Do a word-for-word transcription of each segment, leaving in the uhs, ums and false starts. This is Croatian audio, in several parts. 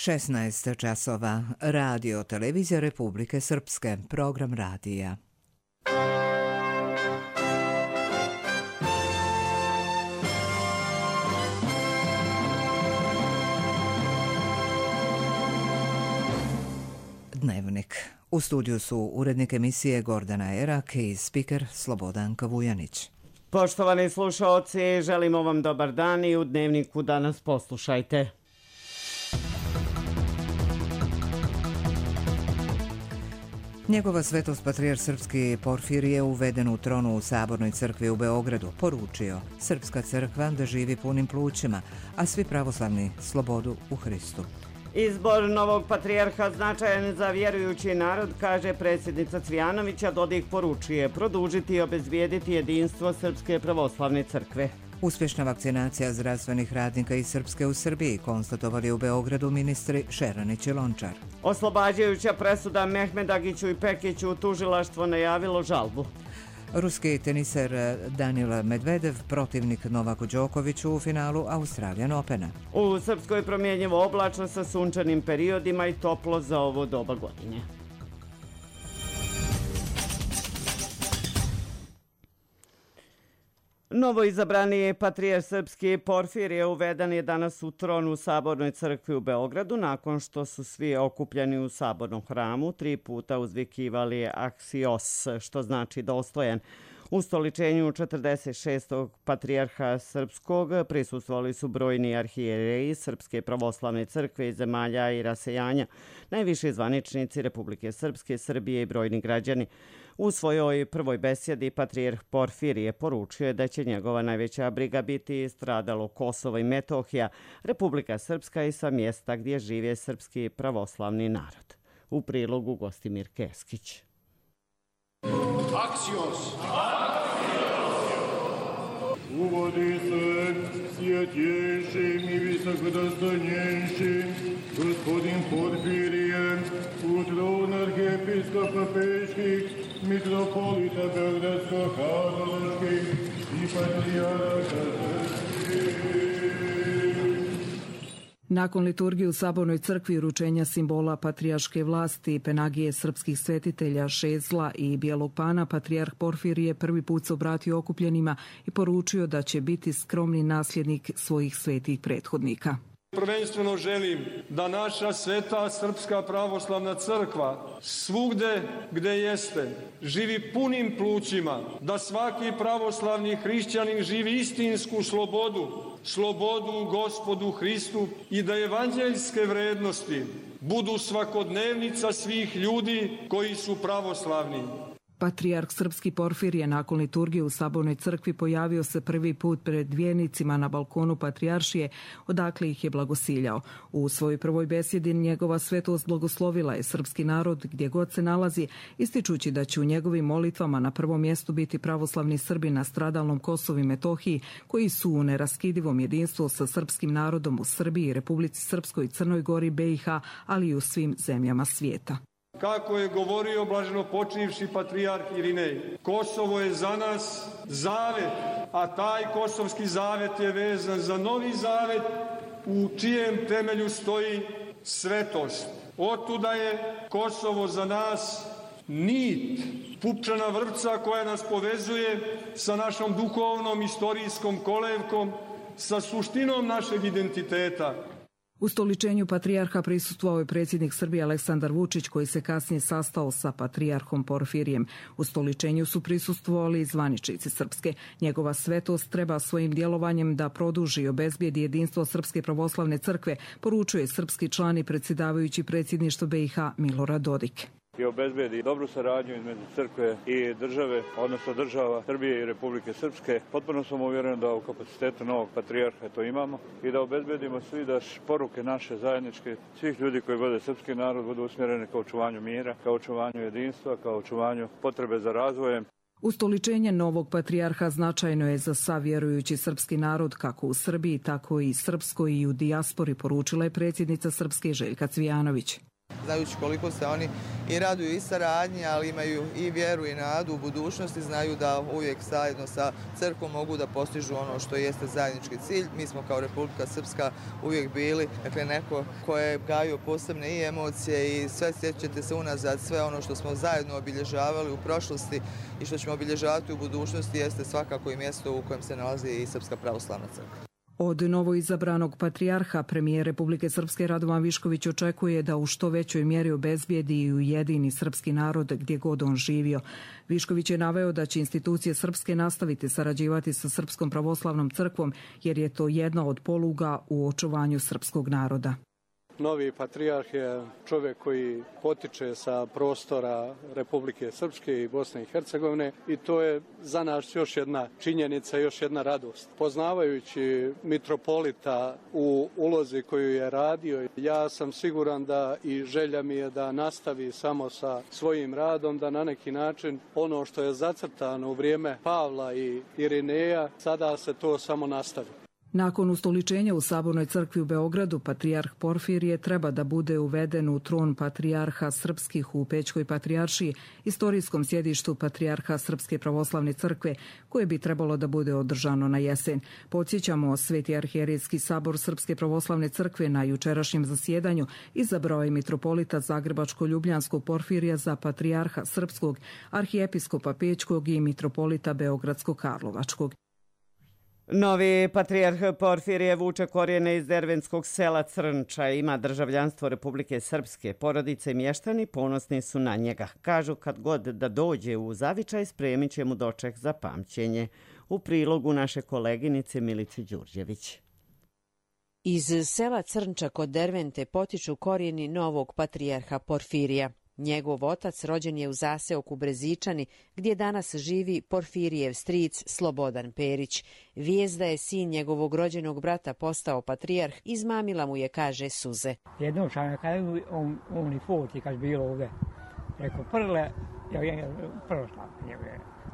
šesnaest časova. Radio Televizija Republike Srpske. Program radija. Dnevnik. U studiju su urednik emisije Gordana Erak i spiker Slobodanka Vujanić. Poštovani slušaoci, želimo vam dobar dan i u Dnevniku danas poslušajte. Njegova svetost patrijarh srpski Porfirije uveden u tronu u Sabornoj crkvi u Beogradu poručio: Srpska crkva da živi punim plućima, a svi pravoslavni slobodu u Hristu. Izbor novog patrijarha značajan za vjerujući narod, kaže predsjednica Cvijanovića. Dodik poručuje produžiti i obezbijediti jedinstvo Srpske pravoslavne crkve. Uspješna vakcinacija zdravstvenih radnika iz Srpske u Srbiji konstatovali u Beogradu ministri Šeranić i Lončar. Oslobađajuća presuda Mehmedagiću i Pekiću, tužilaštvo najavilo žalbu. Ruski teniser Danil Medvedev protivnik Novaku Đokoviću u finalu Australian Opena. U Srpskoj promjenjivo oblačno sa sunčanim periodima i toplo za ovo doba godine. Novo izabrani patrijarh srpski Porfirije uveden je danas u tron u Sabornoj crkvi u Beogradu nakon što su svi okupljeni u Sabornom hramu tri puta uzvikivali Aksios, što znači dostojan. U stoličenju četrdeset šestog patrijarha srpskog prisustvovali su brojni arhijereji Srpske pravoslavne crkve iz zemalja i rasejanja, najviši zvaničnici Republike Srpske, Srbije i brojni građani. U svojoj prvoj besjedi patrijarh Porfirije poručio je da će njegova najveća briga biti stradalo Kosovo i Metohija, Republika Srpska i sva mjesta gdje žive srpski pravoslavni narod. U prilogu Gostimir Keskić. Aksios! Uvodi se svjetjejšim i visokodostojanjejšim gospodin Porfirije u tron arhijepiskopa Peških, mitropolita Beogradsko-Karlovačkih i patrijarha srpskih. Nakon liturgije u Sabornoj crkvi i uručenja simbola patrijarške vlasti, penagije srpskih svetitelja, šezla i bijelog pana, patrijarh Porfirije prvi put se obratio okupljenima i poručio da će biti skromni nasljednik svojih svetih prethodnika. Prvenstveno želim da naša sveta Srpska pravoslavna crkva svugde gde jeste živi punim plućima, da svaki pravoslavni hrišćanin živi istinsku slobodu, slobodu u Gospodu Hristu i da evanđeljske vrednosti budu svakodnevnica svih ljudi koji su pravoslavni. Patrijarh srpski Porfirije nakon liturgije u Sabornoj crkvi pojavio se prvi put pred vjernicima na balkonu patrijaršije, odakle ih je blagosiljao. U svojoj prvoj besjedi njegova svetost blagoslovila je srpski narod gdje god se nalazi, ističući da će u njegovim molitvama na prvom mjestu biti pravoslavni Srbi na stradalnom Kosovu i Metohiji, koji su u neraskidivom jedinstvu sa srpskim narodom u Srbiji, Republici Srpskoj i Crnoj Gori, B i H, ali i u svim zemljama svijeta. Kako je govorio blaženo počivši patrijarh Irinej, Kosovo je za nas zavet, a taj kosovski zavet je vezan za novi zavet u čijem temelju stoji svetost. Otuda je Kosovo za nas nit, pupčana vrpca koja nas povezuje sa našom duhovnom istorijskom kolevkom, sa suštinom našeg identiteta. U stoličenju patrijarha prisustvovao je predsjednik Srbije Aleksandar Vučić, koji se kasnije sastao sa patrijarhom Porfirijem. U stoličenju su prisustvovali i zvaničnici Srpske. Njegova svetost treba svojim djelovanjem da produži i obezbijedi jedinstvo Srpske pravoslavne crkve, poručuje srpski član i predsjedavajući predsjedništvo B i H Milorad Dodik. I obezbedi dobru saradnju između crkve i države, odnosno država Srbije i Republike Srpske. Potpuno sam uvjeren da u kapacitetu novog patrijarha to imamo i da obezbedimo svi da poruke naše zajedničke, svih ljudi koji vode srpski narod, budu usmjerene ka očuvanju mira, ka očuvanju jedinstva, ka očuvanju potrebe za razvojem. Ustoličenje novog patrijarha značajno je za sav vjerujući srpski narod, kako u Srbiji, tako i srpskoj i u dijaspori, poručila je predsjednica Srpske Željka Cvijanović. znajući koliko se oni i raduju i saradnji, ali imaju i vjeru i nadu u budućnosti, znaju da uvijek zajedno sa crkvom mogu da postižu ono što jeste zajednički cilj. Mi smo kao Republika Srpska uvijek bili, dakle, neko ko je gajio posebne i emocije i sve sjećate se unazad, sve ono što smo zajedno obilježavali u prošlosti i što ćemo obilježavati u budućnosti jeste svakako i mjesto u kojem se nalazi i Srpska pravoslavna crkva. Od novoizabranog patrijarha premijer Republike Srpske Radovan Višković očekuje da u što većoj mjeri obezbijedi i ujedini srpski narod gdje god on živio. Višković je naveo da će institucije srpske nastaviti sarađivati sa Srpskom pravoslavnom crkvom jer je to jedna od poluga u očuvanju srpskog naroda. Novi patrijarh je čovjek koji potiče sa prostora Republike Srpske i Bosne i Hercegovine i to je za nas još jedna činjenica, još jedna radost. Poznavajući mitropolita u ulozi koju je radio, ja sam siguran da i želja mi je da nastavi samo sa svojim radom, da na neki način ono što je zacrtano u vrijeme Pavla i Irineja, sada se to samo nastavi. Nakon ustoličenja u Sabornoj crkvi u Beogradu, patrijarh Porfirije treba da bude uveden u tron patrijarha srpskih u Pećkoj patrijaršiji, istorijskom sjedištu patrijarha Srpske pravoslavne crkve, koje bi trebalo da bude održano na jesen. Podsjećamo, Sveti arhijerejski sabor Srpske pravoslavne crkve na jučerašnjem zasjedanju izabrao je mitropolita Zagrebačko-Ljubljanskog Porfirija za patrijarha Srpskog, arhijepiskopa Pećkog i mitropolita Beogradsko-Karlovačkog. Novi patrijarh Porfirije vuče korijene iz dervenskog sela Crnča, ima državljanstvo Republike Srpske. Porodice i mještani ponosni su na njega. Kažu kad god da dođe u zavičaj, spremit će mu doček za pamćenje. U prilogu naše koleginice Milice Đurđević. Iz sela Crnča kod Dervente potiču korijeni novog patrijarha Porfirija. Njegov otac rođen je u zaseoku Brezičani, gdje danas živi Porfirijev stric Slobodan Perić. Vijest da je sin njegovog rođenog brata postao patrijarh izmamila mu je, kaže, suze. Jednom sam kada on, on i foti kad bilo ovdje, rekao prle, ja je prlo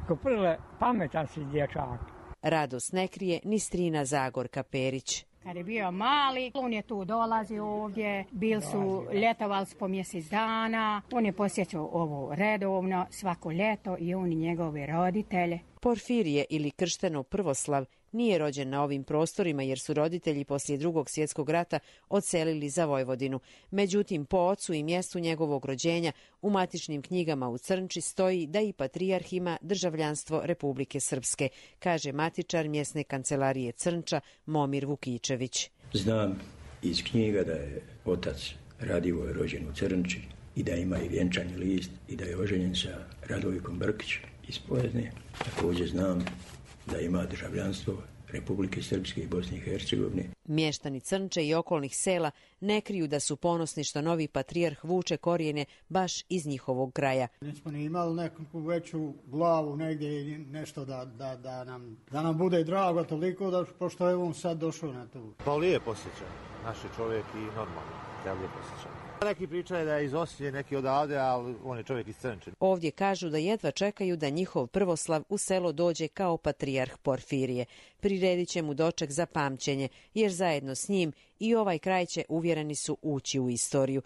rekao prle, pametan si dječak. Radost ne krije ni strina Zagorka Perić. Kad je bio mali, on je tu dolazio ovdje, bili su, ljetovali po mjesec dana, on je posjećao ovo redovno svako ljeto i on i njegove roditelje. Porfirije ili kršteno Prvoslav nije rođen na ovim prostorima jer su roditelji poslije Drugog svjetskog rata odselili za Vojvodinu. Međutim, po ocu i mjestu njegovog rođenja u matičnim knjigama u Crnči stoji da i patrijarh ima državljanstvo Republike Srpske, kaže matičar mjesne kancelarije Crnča Momir Vukičević. Znam iz knjiga da je otac Radivoje rođen u Crnči i da ima i vjenčani list i da je oženjen sa Radovikom Brkić iz Pojezdne. Također znam da ima državljanstvo Republike Srpske i Bosne i Hercegovine. Mještani Crnče i okolnih sela ne kriju da su ponosni što novi patrijarh vuče korijene baš iz njihovog kraja. Nismo ni imali neku veću glavu negdje i nešto da, da, da, nam, da nam bude drago toliko da pošto je on sad došao na to. Pa lijep osjećaj, naš je čovjek i normalno, ja lijep osjećaj. Neki pričaju da je iz Osije, neki odavde, ali on je čovjek iz Crnče. Ovdje kažu da jedva čekaju da njihov prvoslav u selo dođe kao patrijarh Porfirije. Priredit će mu doček za pamćenje, jer zajedno s njim i ovaj kraj će, uvjereni su, ući u istoriju.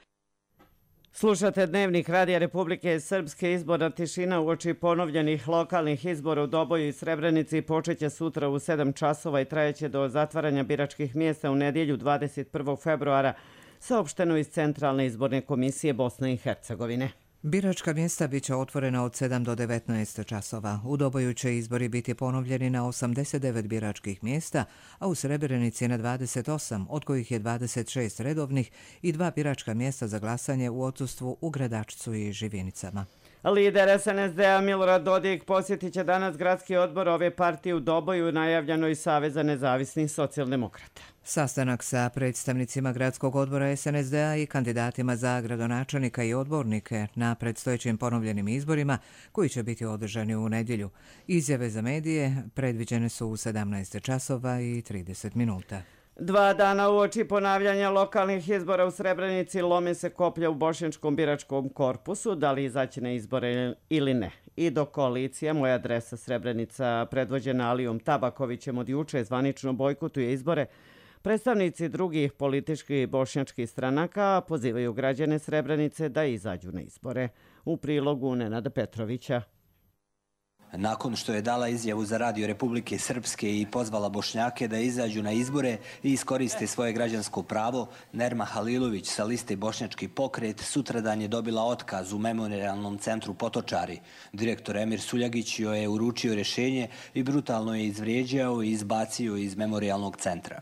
Slušate Dnevnik Radija Republike Srpske. Izborna tišina uoči ponovljenih lokalnih izbora u Doboju i Srebrenici počeće sutra u sedam časova i trajeće do zatvaranja biračkih mjesta u nedjelju dvadeset prvog februara, saopšteno iz Centralne izborne komisije Bosne i Hercegovine. Biračka mjesta biće otvorena od sedam do devetnaest časova. U Doboju će izbori biti ponovljeni na osamdeset devet biračkih mjesta, a u Srebrenici na dvadeset osam, od kojih je dvadeset šest redovnih i dva biračka mjesta za glasanje u odsustvu u Gradačcu i Živinicama. Lider es en es de-a Milorad Dodik posjetit će danas gradski odbor ove partije u Doboju, najavljeno iz Saveza nezavisnih socijaldemokrata. Sastanak sa predstavnicima gradskog odbora es en es de-a i kandidatima za gradonačelnika i odbornike na predstojećim ponovljenim izborima koji će biti održani u nedjelju. Izjave za medije predviđene su u sedamnaest časova i trideset minuta. Dva dana uoči ponavljanja lokalnih izbora u Srebrenici lome se koplja u bošnjačkom biračkom korpusu, da li izaći na izbore ili ne. I do koalicija Moja adresa Srebrenica, predvođena Alijom Tabakovićem, od juče zvanično bojkotuje izbore, Predstavnici drugih političkih bošnjačkih stranaka pozivaju građane Srebrenice da izađu na izbore. U prilogu Nenada Petrovića. Nakon što je dala izjavu za Radio Republike Srpske i pozvala Bošnjake da izađu na izbore i iskoriste svoje građansko pravo, Nerma Halilović sa liste Bošnjački pokret sutradan je dobila otkaz u Memorijalnom centru Potočari. Direktor Emir Suljagić joj je uručio rješenje i brutalno je izvrijeđao i izbacio iz Memorijalnog centra.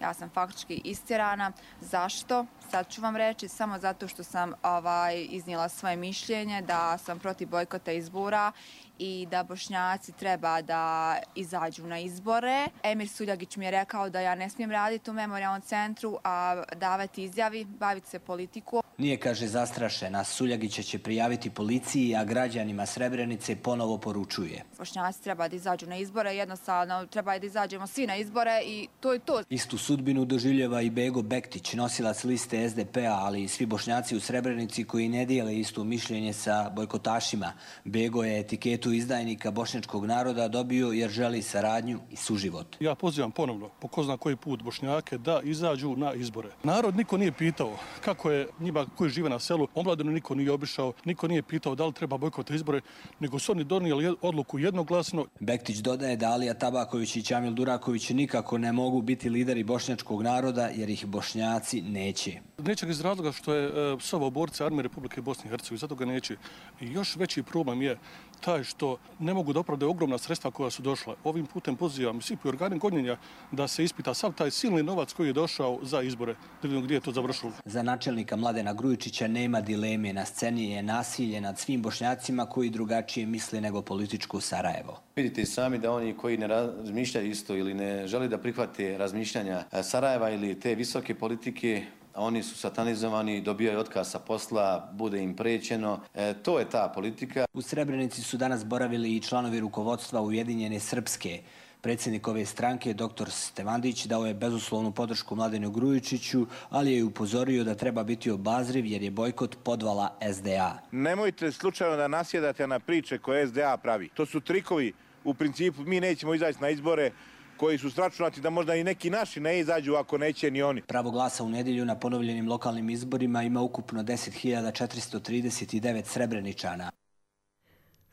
Ja sam faktički istjerana. Zašto? Sad ću vam reći, samo zato što sam ovaj, iznijela svoje mišljenje da sam protiv bojkota izbora i da Bošnjaci treba da izađu na izbore. Emir Suljagić mi je rekao da ja ne smijem raditi u Memorijalnom centru, a davati izjavi, baviti se politiku. Nije, kaže, zastrašena. Suljagića će prijaviti policiji, a građanima Srebrenice ponovo poručuje. Bošnjaci treba da izađu na izbore, jednostavno treba da izađemo svi na izbore i to je to. Istu sudbinu doživljava i Bego Bektić, nosilac liste S D P-a, ali i svi Bošnjaci u Srebrenici koji ne dijele isto mišljenje sa bojkotašima. Bego je etiketu izdajnika bošnjačkog naroda dobio jer želi saradnju i suživot. Ja pozivam ponovno, po ko zna koji put, Bošnjake da izađu na izbore. Narod niko nije pitao kako je njima koji žive na selu, omladinu niko nije obišao, niko nije pitao da li treba bojkota izbore, nego su oni donijeli odluku jednoglasno. Bektić dodaje da Alija Tabaković i Ćamil Duraković nikako ne mogu biti lideri bošnjačkog naroda jer ih Bošnjaci neće. Neće ga iz razloga što je uh, Savo borca armije Republike Bosne i Hercegovine, zato ga neće. I još veći problem je taj što ne mogu da opravdaju ogromna sredstva koja su došla. Ovim putem pozivam svi organi gonjenja da se ispita sav taj silni novac koji je došao za izbore, da vidimo gdje je to završilo. Za načelnika Mladena Grujičića nema dileme. Na sceni je nasilje nad svim Bošnjacima koji drugačije misle nego političko Sarajevo. Vidite sami da oni koji ne razmišljaju isto ili ne žele da prihvate razmišljanja Sarajeva ili te visoke politike, oni su satanizovani, dobijaju otkaz sa posla, bude im prećeno. E, to je ta politika. U Srebrenici su danas boravili i članovi rukovodstva Ujedinjene Srpske. Predsjednik ove stranke, doktor Stevandić, dao je bezuslovnu podršku Mladenu Grujičiću, ali je upozorio da treba biti obazriv jer je bojkot podvala S D A. Nemojte slučajno da nasjedate na priče koje S D A pravi. To su trikovi. U principu mi nećemo izaći na izbore koji su stračunati da možda i neki naši ne izađu ako neće ni oni. Pravo glasa u nedjelju na ponovljenim lokalnim izborima ima ukupno deset hiljada četiristo trideset devet Srebreničana.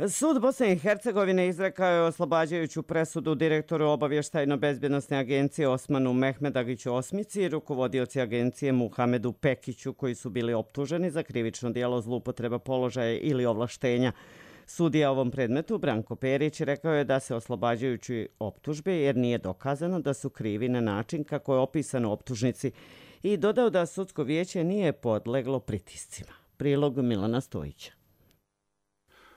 Sud Bosne i Hercegovine izrekao je oslobađajuću presudu direktoru obavještajno-bezbjednosne agencije Osmanu Mehmedagiću Osmici i rukovodioci agencije Muhamedu Pekiću koji su bili optuženi za krivično djelo zloupotreba položaja ili ovlaštenja. Sudija ovom predmetu, Branko Perić, rekao je da se oslobađajući optužbe jer nije dokazano da su krivi na način kako je opisano u optužnici i dodao da sudsko vijeće nije podleglo pritiscima. Prilog Milana Stojića.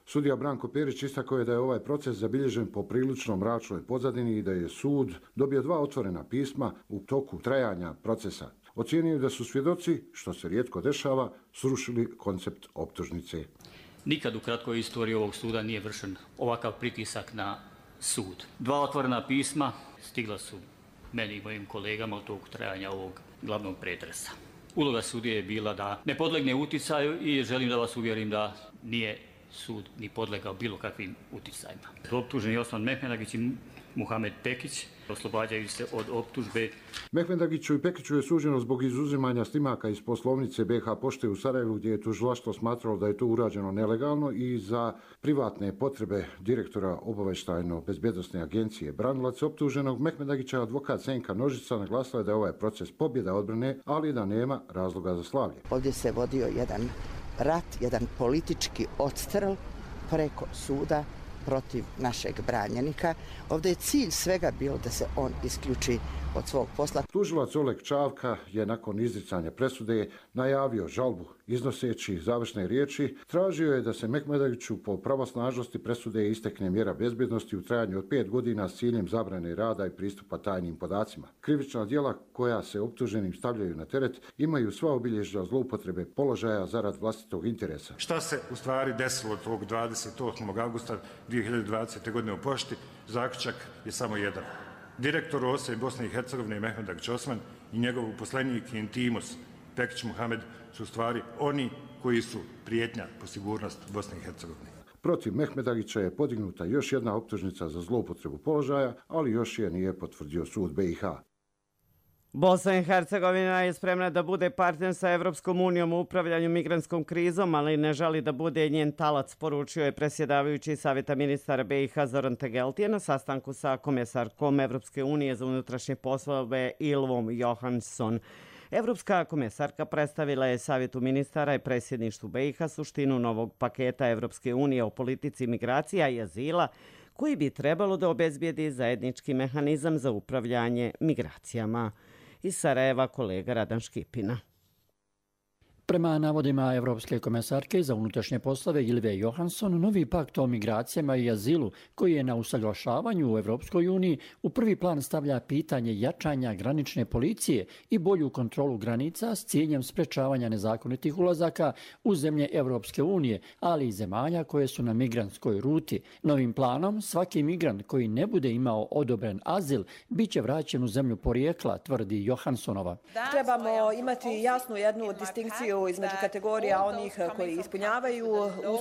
Sudija Branko Perić istakao je da je ovaj proces zabilježen po prilično mračnoj pozadini i da je sud dobio dva otvorena pisma u toku trajanja procesa. Ocijenio da su svjedoci, što se rijetko dešava, srušili koncept optužnice. Nikad u kratkoj istoriji ovog suda nije vršen ovakav pritisak na sud. Dva otvorena pisma stigla su meni i mojim kolegama od tog trajanja ovog glavnog pretresa. Uloga sudije je bila da ne podlegne uticaju i želim da vas uvjerim da nije sud ni podlegao bilo kakvim uticajima. Optuženi Osman Mehmedagić i Muhamed Pekić oslobađaju se od optužbe. Mehmedagiću i Pekiću je suđeno zbog izuzimanja snimaka iz poslovnice B H Pošte u Sarajevu gdje je tužilaštvo smatralo da je to urađeno nelegalno i za privatne potrebe direktora obavještajno-bezbjednosne agencije. Branilac optuženog Mehmedagića, advokat Senka Nožica, naglasila je da je ovaj proces pobjeda odbrane, ali da nema razloga za slavlje. Ovdje se vodio jedan rat, jedan politički odstrel preko suda protiv našeg branjenika. Ovdje je cilj svega bio da se on isključi od svog posla. Tužilac Oleg Čavka je nakon izricanja presude najavio žalbu. Iznoseći završne riječi, tražio je da se Mehmedagiću po pravosnažnosti presude istekne mjera bezbjednosti u trajanju od pet godina s ciljem zabrane rada i pristupa tajnim podacima. Krivična djela koja se optuženim stavljaju na teret imaju sva obilježja zloupotrebe položaja zarad vlastitog interesa. Šta se u stvari desilo tog dvadeset osmog avgusta dvije hiljade dvadesete. godine u Pošti? Zaključak je samo jedan. Direktor O S E Bosne i Hercegovine Mehmedagić Osman i njegov uposlenik i intimus Pekić Muhamed su u stvari oni koji su prijetnja po sigurnost Bosne i Hercegovine. Protiv Mehmedagića je podignuta još jedna optužnica za zloupotrebu položaja, ali još je nije potvrdio sud B i H. Bosna i Hercegovina je spremna da bude partner sa Evropskom unijom u upravljanju migrantskom krizom, ali ne želi da bude njen talac, poručio je predsjedavajući Savjeta ministara B i H Zoran Tegeltije na sastanku sa komesarkom Evropske unije za unutrašnje poslove Ylvom Johansson. Evropska komesarka predstavila je Savjetu ministara i predsjedništvu B i H suštinu novog paketa Evropske unije o politici migracija i azila, koji bi trebalo da obezbijedi zajednički mehanizam za upravljanje migracijama. Iz Sarajeva kolega Radan Škipina. Prema navodima Evropske komesarke za unutrašnje poslove Ylve Johansson, novi pakt o migracijama i azilu, koji je na usaglašavanju u Evropskoj uniji, u prvi plan stavlja pitanje jačanja granične policije i bolju kontrolu granica s ciljem sprečavanja nezakonitih ulazaka u zemlje Evropske unije, ali i zemalja koje su na migrantskoj ruti. Novim planom svaki migrant koji ne bude imao odobren azil bit će vraćen u zemlju porijekla, tvrdi Johanssonova. Trebamo imati jasnu jednu distinkciju između kategorija onih koji ispunjavaju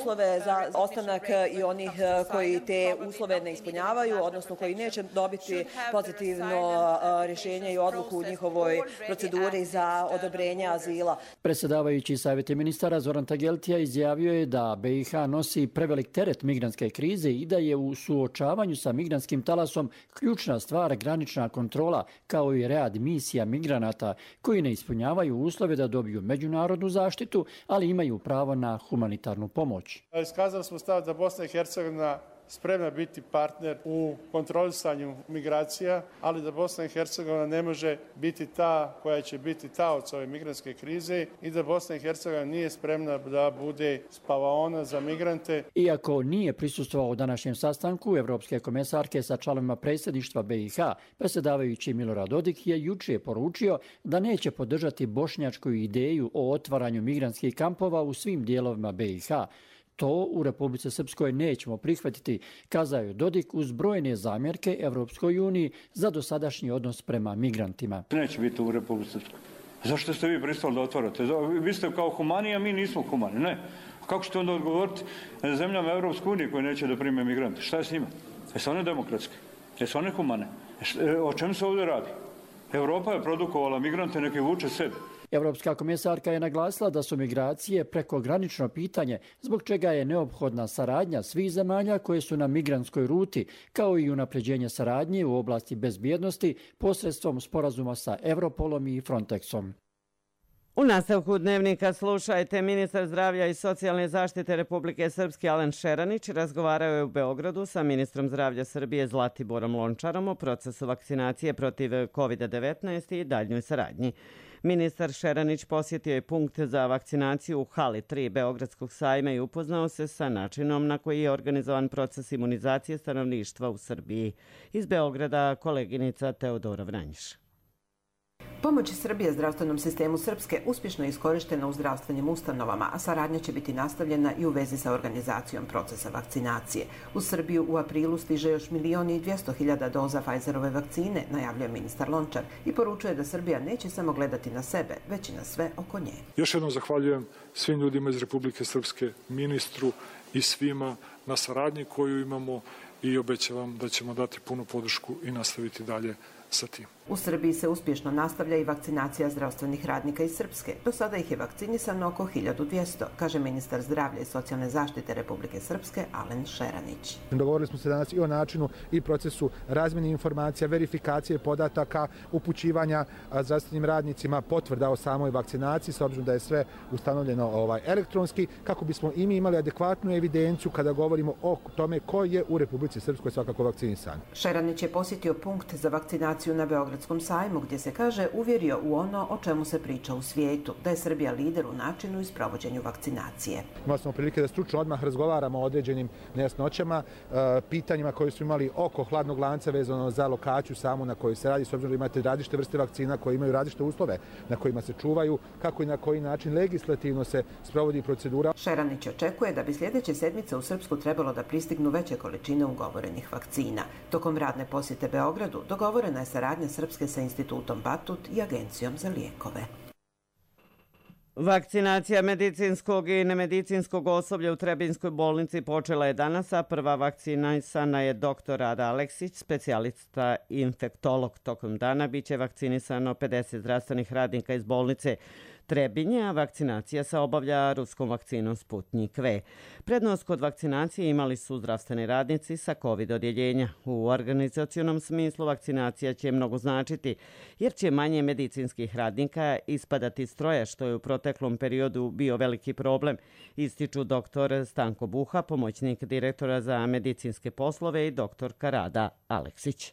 uslove za ostanak i onih koji te uslove ne ispunjavaju, odnosno koji neće dobiti pozitivno rješenje i odluku u njihovoj proceduri za odobrenje azila. Predsjedavajući Savjete ministara Zoran Tegeltija izjavio je da B i H nosi prevelik teret migrantske krize i da je u suočavanju sa migrantskim talasom ključna stvar granična kontrola, kao i rad misija migranata koji ne ispunjavaju uslove da dobiju međunarodnu zaštitu, ali imaju pravo na humanitarnu pomoć. Iskazali smo stav da Bosna i Hercegovina spremna biti partner u kontrolisanju migracija, ali da Bosna i Hercegovina ne može biti ta koja će biti taoc ove migrantske krize i da Bosna i Hercegovina nije spremna da bude spavaona za migrante. Iako nije prisustvovao današnjem sastanku Evropske komesarke sa članovima predsjedništva B i H, predsjedavajući Milorad Dodik je juče poručio da neće podržati bošnjačku ideju o otvaranju migrantskih kampova u svim dijelovima B i H. To u Republici Srpskoj nećemo prihvatiti, kazao je Dodik uz brojne zamjerke Evropskoj uniji za dosadašnji odnos prema migrantima. Neće biti u Republici Srpskoj. Zašto ste vi pristali da otvarate? Vi ste kao humani, a mi nismo humani. Ne. Kako ćete onda odgovoriti zemljama Evropske unije koje neće da prime migrante? Šta je s njima? Jesu one demokratske? Jesu one humane? O čemu se ovdje radi? Evropa je produkovala migrante, neke vuče sebe. Evropska komesarka je naglasila da su migracije prekogranično pitanje, zbog čega je neophodna saradnja svih zemalja koje su na migrantskoj ruti, kao i unapređenje saradnje u oblasti bezbjednosti posredstvom sporazuma sa Europolom i Frontexom. U nastavku dnevnika slušajte, ministar zdravlja i socijalne zaštite Republike Srpske Alen Šeranić razgovarao je u Beogradu sa ministrom zdravlja Srbije Zlatiborom Lončarom o procesu vakcinacije protiv kovid devetnaest i daljnjoj saradnji. Ministar Šeranić posjetio je punkt za vakcinaciju u hali tri Beogradskog sajma i upoznao se sa načinom na koji je organizovan proces imunizacije stanovništva u Srbiji. Iz Beograda koleginica Teodora Vranjiš. Pomoć Srbije zdravstvenom sistemu Srpske uspješno je iskorištena u zdravstvenim ustanovama, a saradnja će biti nastavljena i u vezi sa organizacijom procesa vakcinacije. U Srbiju u aprilu stiže još milion i dvjesto hiljada doza Pfizerove vakcine, najavljuje ministar Lončar i poručuje da Srbija neće samo gledati na sebe, već i na sve oko nje. Još jednom zahvaljujem svim ljudima iz Republike Srpske, ministru i svima na saradnji koju imamo i obećavam da ćemo dati punu podršku i nastaviti dalje sa tim. U Srbiji se uspješno nastavlja i vakcinacija zdravstvenih radnika iz Srpske. Do sada ih je vakcinisano oko hiljadu dvjesto, kaže ministar zdravlja i socijalne zaštite Republike Srpske Alen Šeranić. Dogovorili smo se danas i o načinu i procesu razmjene informacija, verifikacije podataka, upućivanja zdravstvenim radnicima potvrda o samoj vakcinaciji, s obzirom da je sve ustanovljeno ovaj, elektronski, kako bismo i mi imali adekvatnu evidenciju kada govorimo o tome ko je u Republici Srpskoj svakako vakcinisan. Šeranić je posjetio punkt za vakcinaciju na Beogradu sajmu, gdje se kaže uvjerio u ono o čemu se priča u svijetu, da je Srbija lider u načinu i sprovođenju vakcinacije. Imali smo prilike da stručno odmah razgovaramo o određenim nejasnoćama, pitanjima koje su imali oko hladnog lanca vezano za lokaciju samu na kojoj se radi, s obzirom da imate različite vrste vakcina koje imaju različite uslove na kojima se čuvaju, kako i na koji način legislativno se sprovodi procedura. Šeranić očekuje da bi sljedeće sedmice u Srpsku trebalo da pristignu veće količine ugovorenih vakcina. Tokom radne posjete Beogradu dogovorena je saradnja Srpske sa institutom Batut i Agencijom za lijekove. Vakcinacija medicinskog i nemedicinskog osoblja u Trebinjskoj bolnici počela je danas, a prva vakcinisana je doktor Rada Aleksić, specijalista infektolog. Tokom dana biće vakcinisano pedeset zdravstvenih radnika iz bolnice Trebinje, a vakcinacija se obavlja ruskom vakcinom Sputnik V. Prednost kod vakcinacije imali su zdravstveni radnici sa COVID odjeljenja. U organizacionom smislu vakcinacija će mnogo značiti, jer će manje medicinskih radnika ispadati iz stroja, što je u proteklom periodu bio veliki problem, ističu doktor Stanko Buha, pomoćnik direktora za medicinske poslove, i doktorka Rada Aleksić.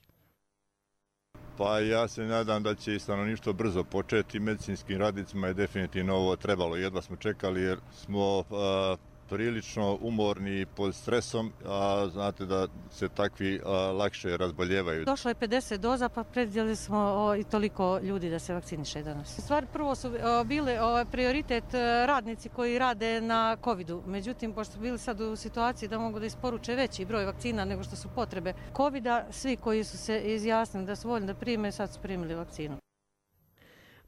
Pa ja se nadam da će i stanovništvo brzo početi. Medicinskim radnicima je definitivno ovo trebalo. Jedva smo čekali jer smo a, prilično umorni pod stresom, a znate da se takvi a, lakše razboljevaju. Došlo je pedeset doza, pa predvidjeli smo o, i toliko ljudi da se vakciniše danas. U stvari, prvo su o, bili o, prioritet radnici koji rade na covidu. Međutim, pošto su bili sad u situaciji da mogu da isporuče veći broj vakcina nego što su potrebe covida, svi koji su se izjasnili da su voljni da prime, sad su primili vakcinu.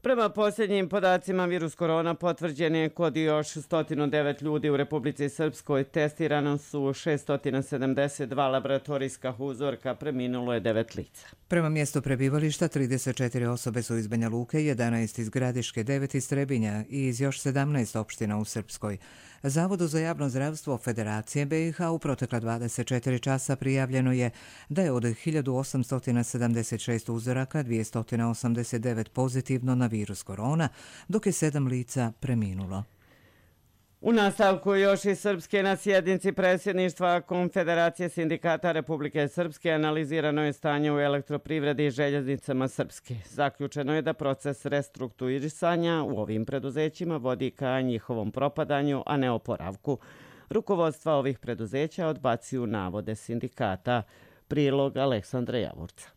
Prema posljednjim podacima, virus korona potvrđen je kod još sto devet ljudi u Republici Srpskoj. Testirano su šesto sedamdeset dva laboratorijska uzorka, preminulo je devet lica. Prema mjestu prebivališta trideset četiri osobe su iz Banja Luke, jedanaest iz Gradiške, devet iz Trebinja i iz još sedamnaest opština u Srpskoj. Zavodu za javno zdravstvo Federacije B i H u protekla dvadeset četiri časa prijavljeno je da je od hiljadu osamsto sedamdeset šest uzoraka dvjesto osamdeset devet pozitivno na virus korona, dok je sedam lica preminulo. U nastavku još i Srpske na sjednici predsjedništva Konfederacije sindikata Republike Srpske analizirano je stanje u elektroprivredi i željeznicama Srpske. Zaključeno je da proces restrukturiranja u ovim preduzećima vodi ka njihovom propadanju, a ne oporavku. Rukovodstva ovih preduzeća odbacuju navode sindikata. Prilog Aleksandra Javorca.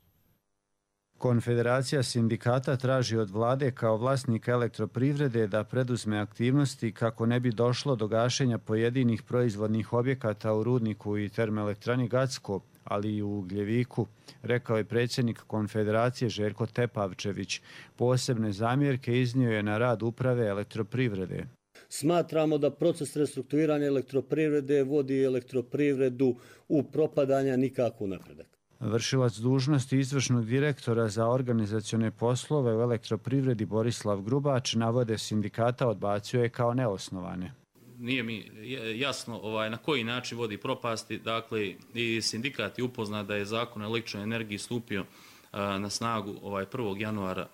Konfederacija sindikata traži od vlade kao vlasnika elektroprivrede da preduzme aktivnosti kako ne bi došlo do gašenja pojedinih proizvodnih objekata u Rudniku i termoelektrani Gacko, ali i u Ugljeviku, rekao je predsjednik Konfederacije Željko Tepavčević. Posebne zamjerke iznio je na rad uprave elektroprivrede. Smatramo da proces restrukturiranja elektroprivrede vodi elektroprivredu u propadanja, nikako napredak. Vršilac dužnosti izvršnog direktora za organizacione poslove u elektroprivredi Borislav Grubač navode sindikata odbacio je kao neosnovane. Nije mi jasno ovaj, na koji način vodi propasti. Dakle, i sindikat je upoznat da je zakon o električnoj energiji stupio a, na snagu ovaj, prvog januara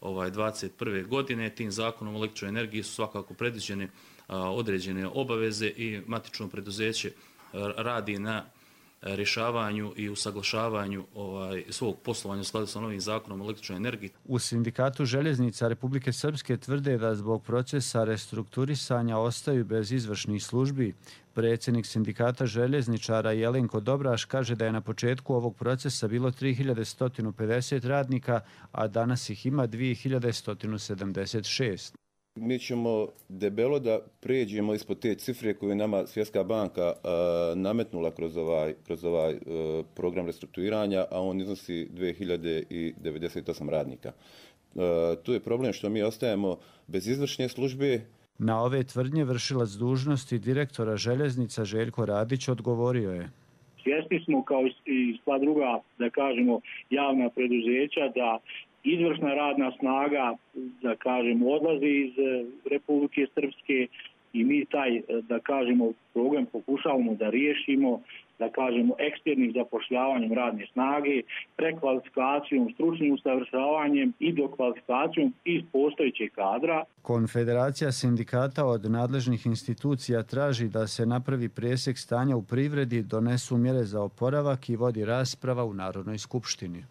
ovaj, dvadeset prve godine. Tim zakonom o električnoj energiji su svakako predviđene a, određene obaveze i matično preduzeće a, radi na rješavanju i usaglašavanju ovaj, svog poslovanja u skladu sa novim zakonom o električnoj energiji. U sindikatu željeznica Republike Srpske tvrde da zbog procesa restrukturisanja ostaju bez izvršnih službi. Predsjednik sindikata željezničara Jelenko Dobraš kaže da je na početku ovog procesa bilo tri hiljade sto pedeset radnika, a danas ih ima dvije hiljade sto sedamdeset šest. Mi ćemo debelo da pređemo ispod te cifre koju je nama Svjetska banka a, nametnula kroz ovaj, kroz ovaj a, program restrukturiranja, a on iznosi dvije hiljade devedeset osam radnika. A, tu je problem što mi ostajemo bez izvršne službe. Na ove tvrdnje vršilac dužnosti direktora željeznica Željko Radić odgovorio je. Svjesni smo kao i sva druga, da kažemo, javna preduzeća da izvršna radna snaga, da kažemo, odlazi iz Republike Srpske i mi taj, da kažemo, problem pokušavamo da riješimo, da kažemo, eksternim zapošljavanjem radne snage, prekvalifikacijom, stručnim usavršavanjem i dokvalifikacijom iz postojećeg kadra. Konfederacija sindikata od nadležnih institucija traži da se napravi presjek stanja u privredi, donesu mjere za oporavak i vodi rasprava u Narodnoj skupštini.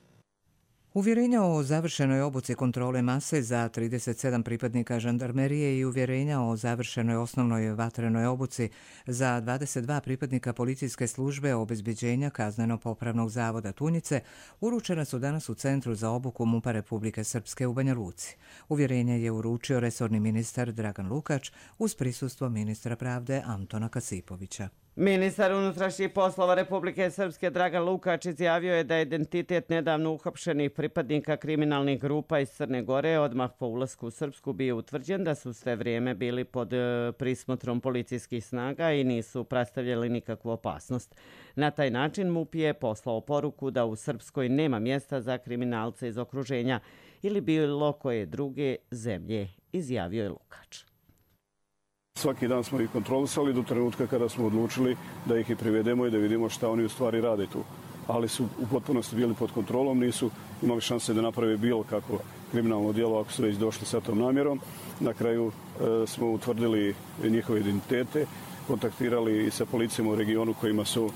Uvjerenja o završenoj obuci kontrole mase za trideset sedam pripadnika žandarmerije i uvjerenja o završenoj osnovnoj vatrenoj obuci za dvadeset dva pripadnika policijske službe obezbeđenja Kazneno-popravnog zavoda Tunjice uručena su danas u Centru za obuku MUP-a Republike Srpske u Banja Luci. Uvjerenje je uručio resorni ministar Dragan Lukač uz prisustvo ministra pravde Antona Kasipovića. Ministar unutrašnjih poslova Republike Srpske Dragan Lukač izjavio je da je identitet nedavno uhapšenih pripadnika kriminalnih grupa iz Crne Gore odmah po ulasku u Srpsku bio utvrđen, da su sve vrijeme bili pod prismotrom policijskih snaga i nisu predstavljali nikakvu opasnost. Na taj način M U P je poslao poruku da u Srpskoj nema mjesta za kriminalce iz okruženja ili bilo koje druge zemlje, izjavio je Lukač. Svaki dan smo ih kontrolisali do trenutka kada smo odlučili da ih i privedemo i da vidimo šta oni u stvari rade tu. Ali su u potpunosti bili pod kontrolom, nisu imali šanse da naprave bilo kako kriminalno djelo ako su već došli sa tom namjerom. Na kraju e, smo utvrdili njihove identitete, kontaktirali i sa policijom u regionu kojima su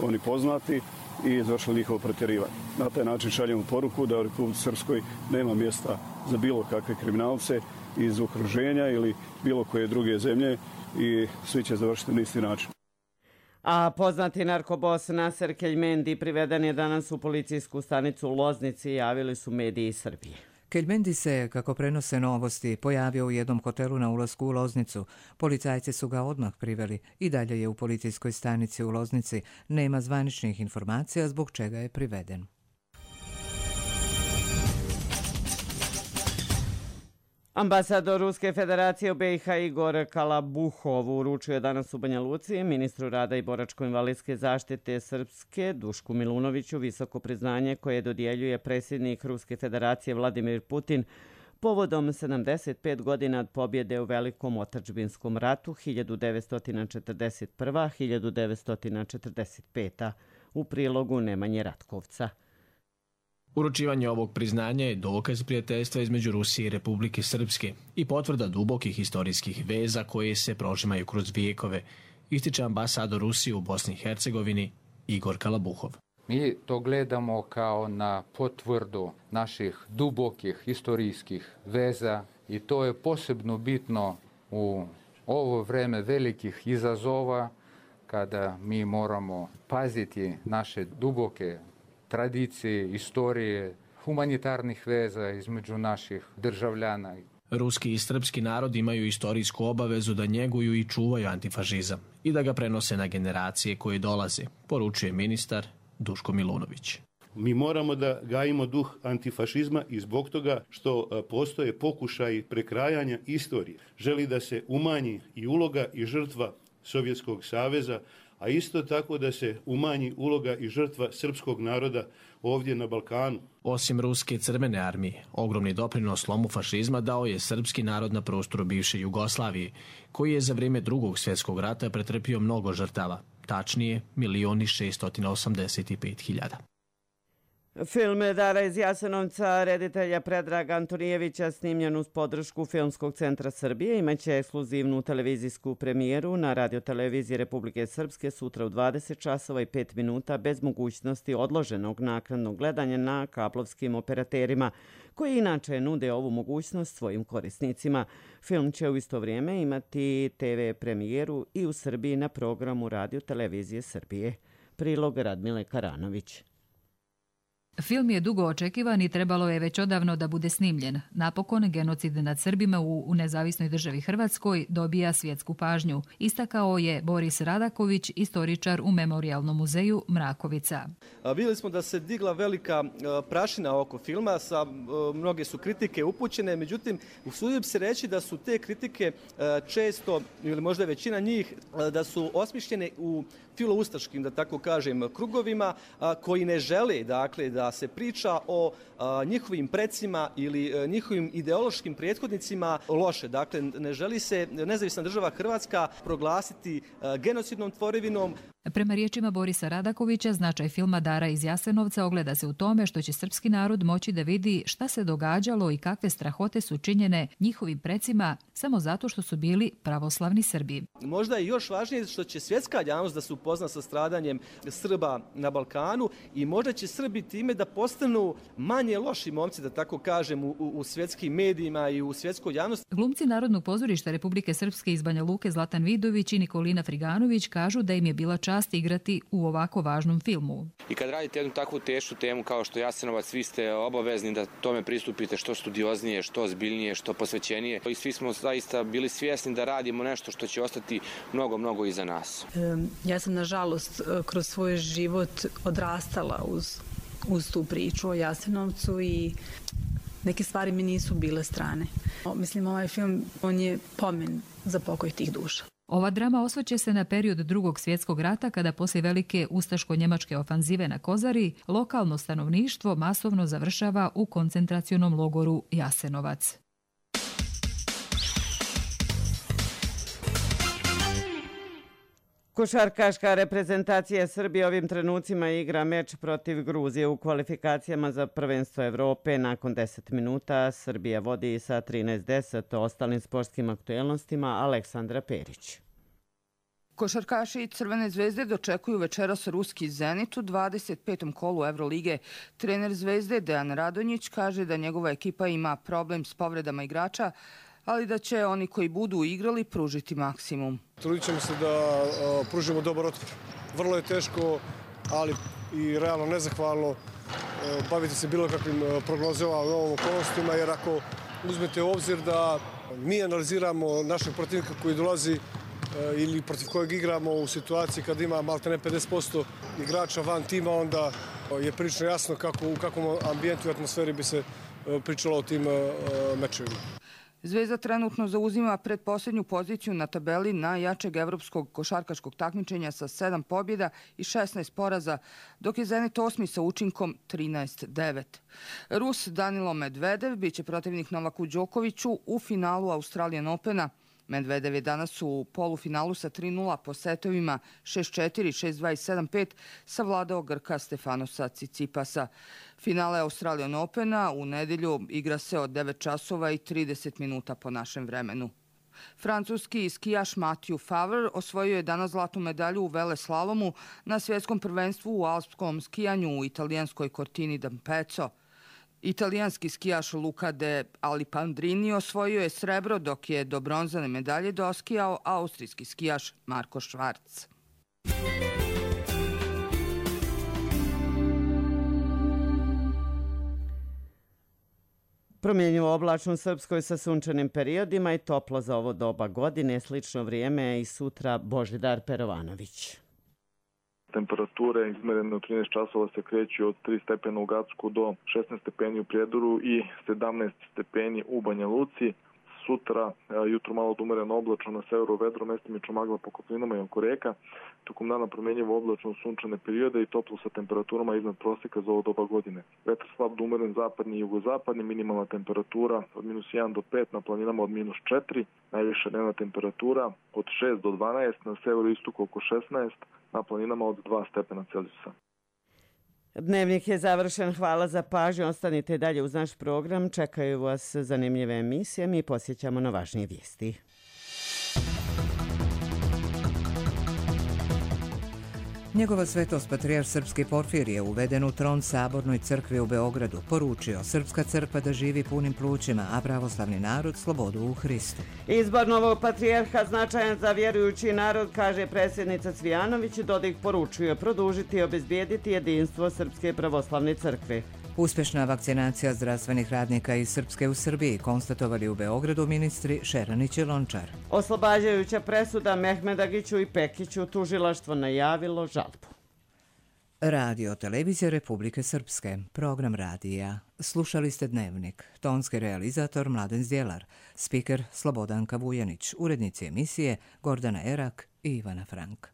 oni poznati i izvršili njihovo pretjerivanje. Na taj način šaljemo poruku da u Republici Srpskoj nema mjesta za bilo kakve kriminalce iz okruženja ili bilo koje druge zemlje i svi će završiti na isti način. A poznati narkobos Naser Keljmendi priveden je danas u policijsku stanicu u Loznici, javili su mediji Srbije. Keljmendi se, kako prenose Novosti, pojavio u jednom hotelu na ulasku u Loznicu. Policajci su ga odmah priveli i dalje je u policijskoj stanici u Loznici. Nema zvaničnih informacija zbog čega je priveden. Ambasador Ruske federacije u B i H Igor Kalabuhov uručio je danas u Banja Luci ministru rada i boračko-invalidske zaštite Srpske Dušku Milunoviću visoko priznanje koje dodjeljuje predsjednik Ruske federacije Vladimir Putin povodom sedamdeset pet godina od pobjede u Velikom otadžbinskom ratu hiljadu devetsto četrdeset prva do hiljadu devetsto četrdeset peta u prilogu Nemanje Ratkovca. Uručivanje ovog priznanja je dokaz prijateljstva između Rusije i Republike Srpske i potvrda dubokih historijskih veza koje se prožimaju kroz vijekove, ističe ambasador Rusije u Bosni i Hercegovini Igor Kalabuhov. Mi to gledamo kao na potvrdu naših dubokih historijskih veza i to je posebno bitno u ovo vreme velikih izazova kada mi moramo paziti naše duboke tradicije, istorije, humanitarnih veza između naših državljana. Ruski i srpski narod imaju istorijsku obavezu da njeguju i čuvaju antifašizam i da ga prenose na generacije koje dolaze, poručuje ministar Duško Milunović. Mi moramo da gajimo duh antifašizma i zbog toga što postoje pokušaji prekrajanja istorije. Želi da se umanji i uloga i žrtva Sovjetskog saveza, a isto tako da se umanji uloga i žrtva srpskog naroda ovdje na Balkanu. Osim Ruske crvene armije, ogromni doprinos slomu fašizma dao je srpski narod na prostoru bivše Jugoslavije, koji je za vrijeme Drugog svjetskog rata pretrpio mnogo žrtava, tačnije milion i šeststo osamdeset pet hiljada. Film Dara iz Jasenovca reditelja Predraga Antonijevića snimljen uz podršku Filmskog centra Srbije imaće ekskluzivnu televizijsku premijeru na radioteleviziji Republike Srpske sutra u dvadeset časova i pet minuta bez mogućnosti odloženog naknadnog gledanja na kablovskim operaterima koji inače nude ovu mogućnost svojim korisnicima. Film će u isto vrijeme imati te ve premijeru i u Srbiji na programu radiotelevizije Srbije. Prilog Radmile Karanović. Film je dugo očekivan i trebalo je već odavno da bude snimljen. Napokon, genocid nad Srbima u, u nezavisnoj državi Hrvatskoj dobija svjetsku pažnju. Istakao je Boris Radaković, istoričar u Memorijalnom muzeju Mrakovica. Vidjeli smo da se digla velika prašina oko filma, sa, mnoge su kritike upućene, međutim, usudio bi se reći da su te kritike često, ili možda većina njih, da su osmišljene u filoustaškim, da tako kažem, krugovima koji ne žele, dakle, da se priča o a, njihovim precima ili a, njihovim ideološkim prethodnicima loše. Dakle, ne želi se nezavisna država Hrvatska proglasiti a, genocidnom tvorevinom. Prema riječima Borisa Radakovića, značaj filma Dara iz Jasenovca ogleda se u tome što će srpski narod moći da vidi šta se događalo i kakve strahote su činjene njihovim precima samo zato što su bili pravoslavni Srbi. Možda je još važnije što će svjetska javnost da se upozna sa stradanjem Srba na Balkanu i možda će Srbi time da postanu manje loši momci, da tako kažem, u, u svjetskim medijima i u svjetskoj javnosti. Glumci Narodnog pozorišta Republike Srpske iz Banja Luke Zlatan Vidović i Nikolina Friganović kažu da im je bila čast čast igrati u ovako važnom filmu. I kad radite jednu takvu tešku temu kao što Jasenovac, svi ste obavezni da tome pristupite što studioznije, što ozbiljnije, što posvećenije. I svi smo zaista bili svjesni da radimo nešto što će ostati mnogo, mnogo iza nas. Ja sam, nažalost, kroz svoj život odrastala uz, uz tu priču o Jasenovcu i neke stvari mi nisu bile strane. Mislim, ovaj film, on je pomen za pokoj tih duša. Ova drama osvrće se na period Drugog svjetskog rata, kada poslije velike ustaško-njemačke ofanzive na Kozari lokalno stanovništvo masovno završava u koncentracionom logoru Jasenovac. Košarkaška reprezentacija Srbije ovim trenucima igra meč protiv Gruzije u kvalifikacijama za prvenstvo Evrope. Nakon deset minuta Srbija vodi sa trinaest deset. O ostalim sportskim aktuelnostima Aleksandra Perić. Košarkaši Crvene zvezde dočekuju večeras ruski Zenit u dvadeset petom kolu Evrolige. Trener Zvezde Dejan Radonjić kaže da njegova ekipa ima problem s povredama igrača, ali da će oni koji budu igrali pružiti maksimum. Trudit ćemo se da pružimo dobar otpor. Vrlo je teško, ali i realno nezahvalno baviti se bilo kakvim prognozama u ovom okolnostima, jer ako uzmete u obzir da mi analiziramo našeg protivnika koji dolazi ili protiv kojeg igramo u situaciji kad ima maltene pedeset posto igrača van tima, onda je prilično jasno kako, u kakvom ambijentu i atmosferi bi se pričalo o tim mečevima. Zvezda trenutno zauzima predposljednju poziciju na tabeli najjačeg evropskog košarkaškog takmičenja sa sedam pobjeda i šesnaest poraza, dok je Zenit osmi sa učinkom trinaest devet. Rus Danilo Medvedev biće protivnik Novaku Đokoviću u finalu Australian Opena. Medvedev je danas u polufinalu sa tri nula po setovima šest četiri, šest dva i sedam pet savladao Grka Stefanosa Cicipasa. Finale Australian Opena u nedjelju igra se od devet časova i trideset minuta po našem vremenu. Francuski skijaš Mathieu Favre osvojio je danas zlatnu medalju u veleslalomu na svjetskom prvenstvu u alpskom skijanju u italijanskoj Cortini d'Ampezzo. Italijanski skijaš Luca de Alipandrini osvojio je srebro, dok je do bronzane medalje doskijao austrijski skijaš Marko Švarc. Promjenjivo oblačno u Srpskoj sa sunčanim periodima i toplo za ovo doba godine. Slično vrijeme i sutra Božidar Perovanović. Temperature izmerene u trinaest časova se kreću od tri stepena u Gacku do šesnaest stepeni u Prijedoru i sedamnaest stepeni u Banja Luci. Sutra jutro malo umereno oblačno, na severu vedro, mestimično magla po kotlinama i oko reka. Tokom dana promjenjivo oblačno sunčane periode i toplo sa temperaturama iznad prosjeka za ovo doba godine. Vetar slab do umeren zapadni i jugozapadni, minimalna temperatura od minus jedan do pet, na planinama od minus četiri, najviša dnevna temperatura od šest do dvanaest, na severu istoku oko šesnaest, na planinama od dva stepena Celzijusa. Dnevnik je završen. Hvala za pažnju. Ostanite dalje uz naš program. Čekaju vas zanimljive emisije. Mi posjećamo na važnije vijesti. Njegova svetost patrijarh srpski Porfirije uveden u tron Sabornoj crkvi u Beogradu, poručio srpska crkva da živi punim plućima, a pravoslavni narod slobodu u Hristu. Izbor novog patrijarha značajan za vjerujući narod, kaže predsjednica Cvijanović. Dodik poručuje produžiti i obezbijediti jedinstvo Srpske pravoslavne crkve. Uspješna vakcinacija zdravstvenih radnika iz Srpske u Srbiji konstatovali u Beogradu ministri Šeranić i Lončar. Oslobađajuća presuda Mehmedagiću i Pekiću, tužilaštvo najavilo žalbu. Radio Televizija Republike Srpske, program radija. Slušali ste Dnevnik, tonski realizator Mladen Zdjelar, spiker Slobodanka Vujanić, urednici emisije Gordana Erak i Ivana Frank.